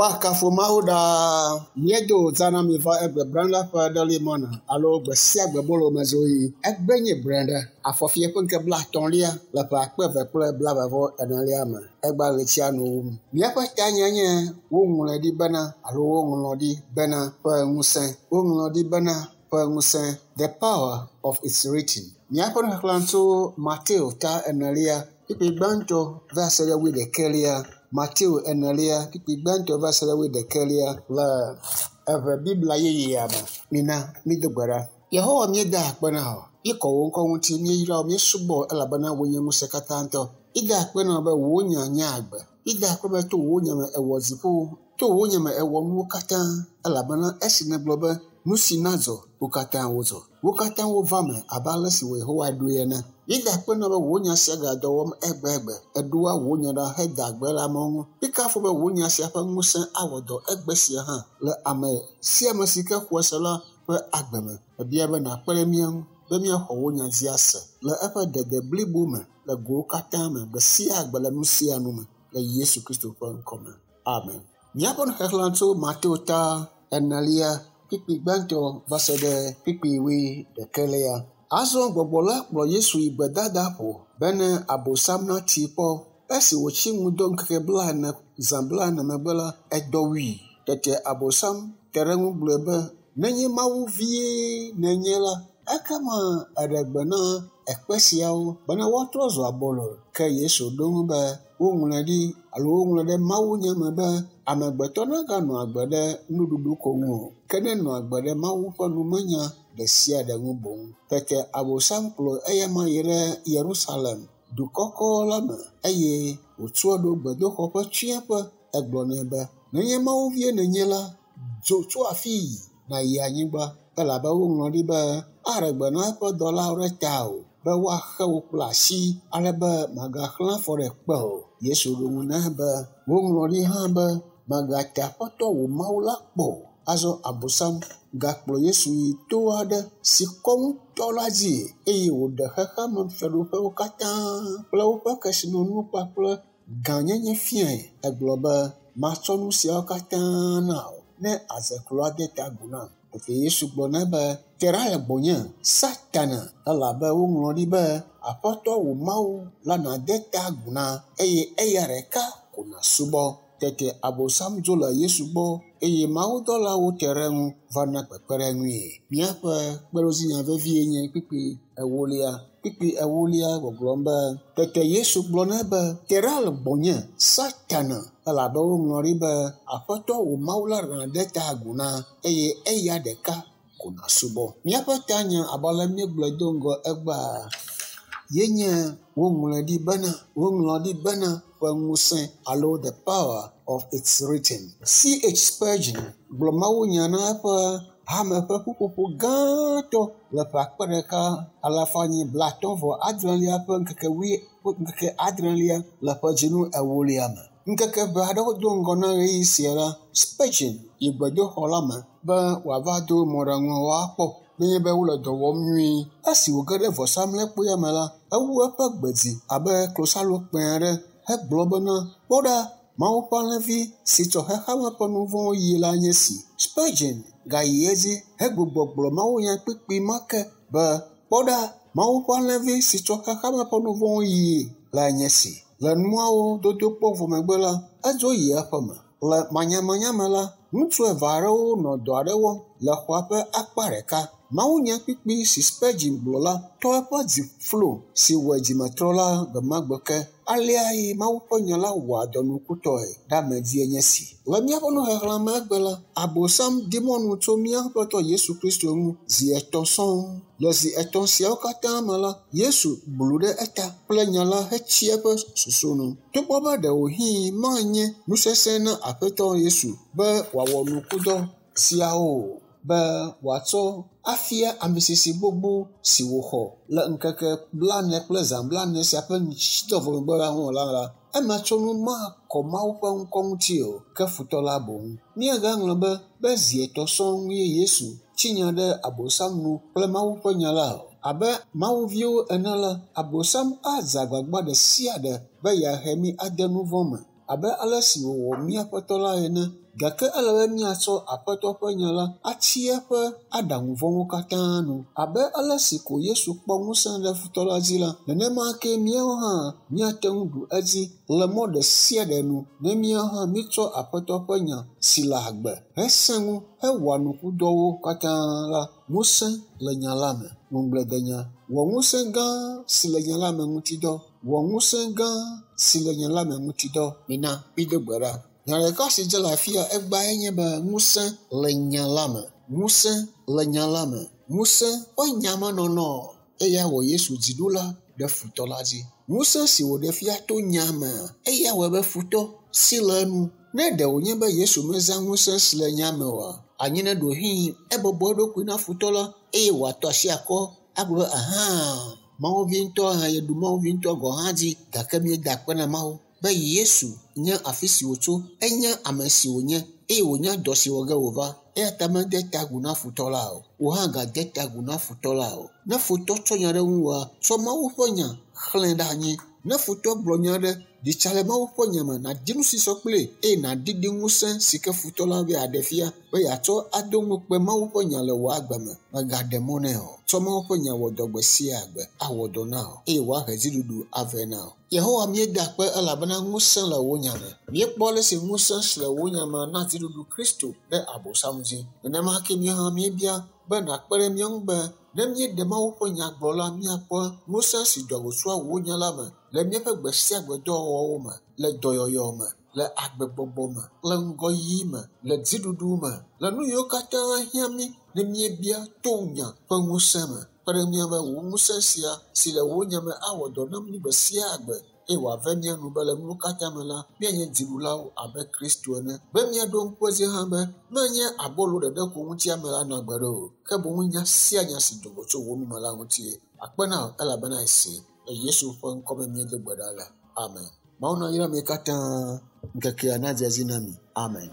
Woakafu Mawu ɖaa. Míedo zã na mi va egbe Brenda ƒe Daily Manna alo gbe sia gbe bolo me zoɣi. Egbe nye Brenda, afɔfie ƒe ŋkeke 30lia le ƒe 2024lia me. Egba ɣletia nu wum. Míaƒe tanya nye woŋlɔe ɖi bena alo woŋlɔ ɖi bena ƒe ŋusẽ. Woŋlɔ ɖi bena ƒe ŋusẽ. The power of its written. Míaƒe nuxexlẽ tso Mateo ta 4, kpukpui gbãtɔ va se ɖe 21. Mateo 4, kpukpui gbãtɔ va se ɖe 21 le eʋe Biblia yeyea me. Mina mído gbe ɖa. Yehowa míeda akpe na wò. Míekɔ wò ŋkɔ ŋuti, míeyra wò, míesubɔ wò elabena wò nye ŋusẽ katãtɔ. Míeda akpe na wò be wò nya nye agbe. Míeda akpe be to wò nya me èwɔ dziƒowo, to wò nya me èwɔ nuwo katã elabena esi nègblɔ be nu si nadzɔ, wo katã wodzɔ. Wo katã wova me abe ale si wò Yehowa ɖoe ene. Míeda akpe na wò be wò nya sia gale dɔ wɔm egbegbe. Èɖoa wò nya ɖa heda gbe le amewo ŋu. Míekafu be wò nya sia ƒe ŋusẽ awɔ dɔ egbe sia hã le ame sia ame si ke xɔe se la ƒe agbe me. Mebia be nàkpe ɖe mía ŋu be míaxɔ wò nya dzi ase le eƒe dede blibo me le gowo katã me gbe sia gbe le nu sia nu me le Yesu Kristo ƒe ŋkɔ me. Amen. Míaƒe nuxexlẽ tso Mateo ta 4, kpukpui gbãtɔ va se ɖe kpukpui 21. Azɔ gbɔgbɔ la kplɔ Yesu yi gbedadaƒo bene Abosam natee kpɔ. Esi wòtsi ŋudɔ ŋkeke 40 zã 40 megbe la, edɔ wui. Tete Abosam te ɖe eŋu gblɔ be, nenye Mawu vie nènye la, ekema eɖe gbe na ekpe siawo bena woatrɔ zu abolo. Ke Yesu ɖo eŋu be, woŋlɔe ɖi alo woŋlɔe ɖe mawunya me be amegbetɔ naganɔ agbe ɖe nuɖuɖu ko ŋu o, ke nenɔ agbe ɖe Mawu ƒe numenya ɖe sia ɖe ŋu boŋ. Tete Abosam kplɔ eyama yi ɖe Yerusalem, du kɔkɔ la me eye wòtsɔe ɖo gbedoxɔ ƒe tsiẽƒe. Egblɔ nɛ be, nenye Mawu vie nènye la, dzo tso afii nàyi anyigba elabe woŋlɔ ɖi be aɖe gbe na eƒe dɔlawo ɖe tawò be woaxe wò kple asi ale be màgaxlã afɔ ɖe kpe o. Yesu ɖo ŋu nɛ be, woŋlɔ ɖi hã be mègate Aƒetɔ wò Mawu la kpɔ o. Azɔ Abosam gakplɔ Yesu yi to aɖe si kɔ ŋutɔ la dzi eye wòɖe xexeame fiaɖuƒewo katã kple woƒe kesinɔnuwo kpakple gãnyenye fiae. Egblɔ be, matsɔ nu siawo katã na wò ne àdze klo ade ta agu nam. Tete Yesu gblɔ nɛ be, te ɖa le gbɔnye, Satana, elabe woŋlɔ ɖi be, Aƒetɔ wò Mawu la nàde ta agu na eye eya ɖeka ko nàsubɔ. Tete Abosam dzo le Yesu gbɔ eye mawudɔlawo te ɖe eŋu va na kpekpeɖeŋui. Míaƒe kpeɖodzinya vevie nye kpukpui 4. Kpukpui 4 gbɔgblɔm be, tete Yesu gblɔ nɛ be, te ɖa le gbɔnye, Satana, elabe woŋlɔ ɖi be, Aƒetɔ wò Mawu la nàde ta agu na eye eya ɖeka ko nàsubɔ. Míaƒe tanya abe ale míegblɔe do ŋgɔ egbea ye nye woŋlɔe ɖi bena, woŋlɔ ɖi bena ƒe ŋusẽ alo the power of its written. C.H. Spurgeon gblɔ mawunya na eƒe hame ƒe ƒuƒoƒo gãtɔ le ƒe 1958 ƒe ŋkeke 6 le ƒe dzinu 4 me. Ŋkeke ʋɛ aɖewo do ŋgɔ na ɣeyiɣi sia la, Spurgeon yi gbedoxɔ la me be wòava do mɔɖaŋuawo akpɔ nenye be wole dɔ wɔm nyuie. Esi wòge ɖe vɔsamlekpuia me la, ewu eƒe gbe dzi abe klosalokpẽ aɖe hegblɔ bena, kpɔ ɖa, Mawu ƒe alẽvi si tsɔ xexeame ƒe nu vɔ̃wo yi la nye esi. Spurgeon gayi edzi hegbugbɔ gblɔ mawunya kpukpui ma ke be, kpɔ ɖa, Mawu ƒe alẽvi si tsɔ xexeame ƒe nu vɔ̃wo yi la nye esi. Le nuawo dodo kpɔ vɔ megbe la, edzo yi eƒeme. Le manyamanya me la, ŋutsu eve aɖewo nɔ dɔ aɖe wɔm le xɔa ƒe akpa ɖeka. Mawunya kpukpui si Spurgeon gblɔ la tɔ eƒe dzi flo si wɔe dzimetrɔla gbemagbe ke. Aleae Mawu ƒe nya la wɔa dɔ nukutɔe ɖe ame dzie nye esi. Le míaƒe nuxexlẽ me egbe la, Abosam di mɔnu tso mía Aƒetɔ Yesu Kristo ŋu zi 3 sɔŋ. Le zi 3 siawo katã me la, Yesu blu ɖe eta kple nya la hetsi eƒe susu nu. Togbɔ be ɖewohĩ manye nu sesẽ na Aƒetɔ Yesu be wòawɔ nukudɔ siawo o, be wòatsɔ afia ame sisi gbogbo si wòxɔ le ŋkeke 40 kple zã 40 sia ƒe ŋutitɔ vɔ megbe la ŋu la, emetsonu makɔ Mawu ƒe ŋkɔ ŋuti o, ke futɔ la boŋ. Míagaŋlɔ be zi 3 sɔŋ ye Yesu tsi nya ɖe Abosam nu kple Mawu ƒe nya la o. Abe mawuviwo ene la, Abosam adze agbagba ɖe sia ɖe be yeahe mí ade nu vɔ̃ me. abe ale si wòwɔ mía Aƒetɔ la ene. Gake ele be míatsɔ Aƒetɔ ƒe nya la atsi eƒe aɖaŋu vɔ̃wo katã nu. Abe ale si ko Yesu kpɔ ŋusẽ ɖe futɔ la dzi la, nenema ke míawo hã míate ŋu ɖu edzi le mɔ ɖe sia ɖe nu ne míawo hã míetsɔ Aƒetɔ ƒe nya si le agbe hesẽ ŋu hewɔa nukudɔwo katã la. Ŋusẽ le nya la me. Ŋugbledenya. Wɔ ŋusẽ gã si le nya la me ŋuti dɔ. Wɔ ŋusẽ gã si le nya la me ŋuti dɔ. Mina mído gbe ɖa. Nya ɖeka si dze le afia egbea nye be ŋusẽ le nya la me. Ŋusẽ le nya la me. Ŋusẽ ƒe nyamenɔnɔ eya wɔ Yesu dziɖula ɖe futɔ la dzi. Ŋusẽ si wòɖe fia to nya me eya wɔe be futɔ si le enu. Ne ɖe wònye be Yesu mezã ŋusẽ si le nya me oa, anyi ne ɖewohĩ ebɔbɔ eɖokui na futɔ la eye wòatɔ asi akɔ agblɔ be ahã Mawuvi ŋutɔ hã yeɖu Mawuvi ŋutɔ gɔ̃ hã dzi gake míeda akpe na Mawu be Yesu nya afi si wòtso, enya ame si wònye eye wònya dɔ si wɔ ge wòva. Eya ta mede ta agu na futɔ la o. Wò hã gade ta agu na futɔ la o. Ne futɔ tsɔ nya ɖe ŋuwòa, tsɔ Mawu ƒe nya xlẽe ɖe anyi. Ne futɔ gblɔ nya aɖe, ɖi tsa le Mawu ƒe nya me, nàdi nu si sɔ kplii eye nàɖiɖi ŋusẽ si ke futɔ la be yeaɖe fia be yeatsɔ ado ŋukpe Mawu ƒe nya le wò agbe me. Mègaɖe mɔ nɛ o. Tsɔ Mawu ƒe nya wɔ dɔ gbe sia gbe, awɔ dɔ na wò eye wòahe dziɖuɖu avɛ na wò. Yehowa míeda akpe elabena ŋusẽ le wò nya me. Míekpɔ ale si ŋusẽ si le wò nya me na dziɖuɖu Kristo ɖe Abosam dzi. Nenema ke míawo hã míebia be nàkpe ɖe mía ŋu be ne míeɖe Mawu ƒe nya gblɔ la, míakpɔ ŋusẽ si doa go tsoa wò nya la me le míaƒe gbe sia gbe dɔwɔwɔwo me, le dɔyɔyɔ me, le agbegbɔgbɔ me, le ŋgɔyiyi me, le dziɖuɖu me, le nu yiwo katã hiã mí ne míebia to nya ƒe ŋusẽ me. Kpe ɖe mía be wò ŋusẽ sia si le wò nya me awɔ dɔ na mí gbe sia gbe eye wòave mía nu be le nuwo katã me la, míanye dziɖulawo abe Kristo ene. Be míaɖo ŋku edzi hã be menye abolo ɖeɖe ko ŋuti ame la nɔ agbe ɖo o, ke boŋ nya sia nya si do go tso wò nu me la ŋutie. Akpe na wò elabena esi le Yesu ƒe ŋkɔ me míedo gbe ɖa le. Amen. Mawu nayra mi katã. Ŋkekea nadze edzi na mi. Amen.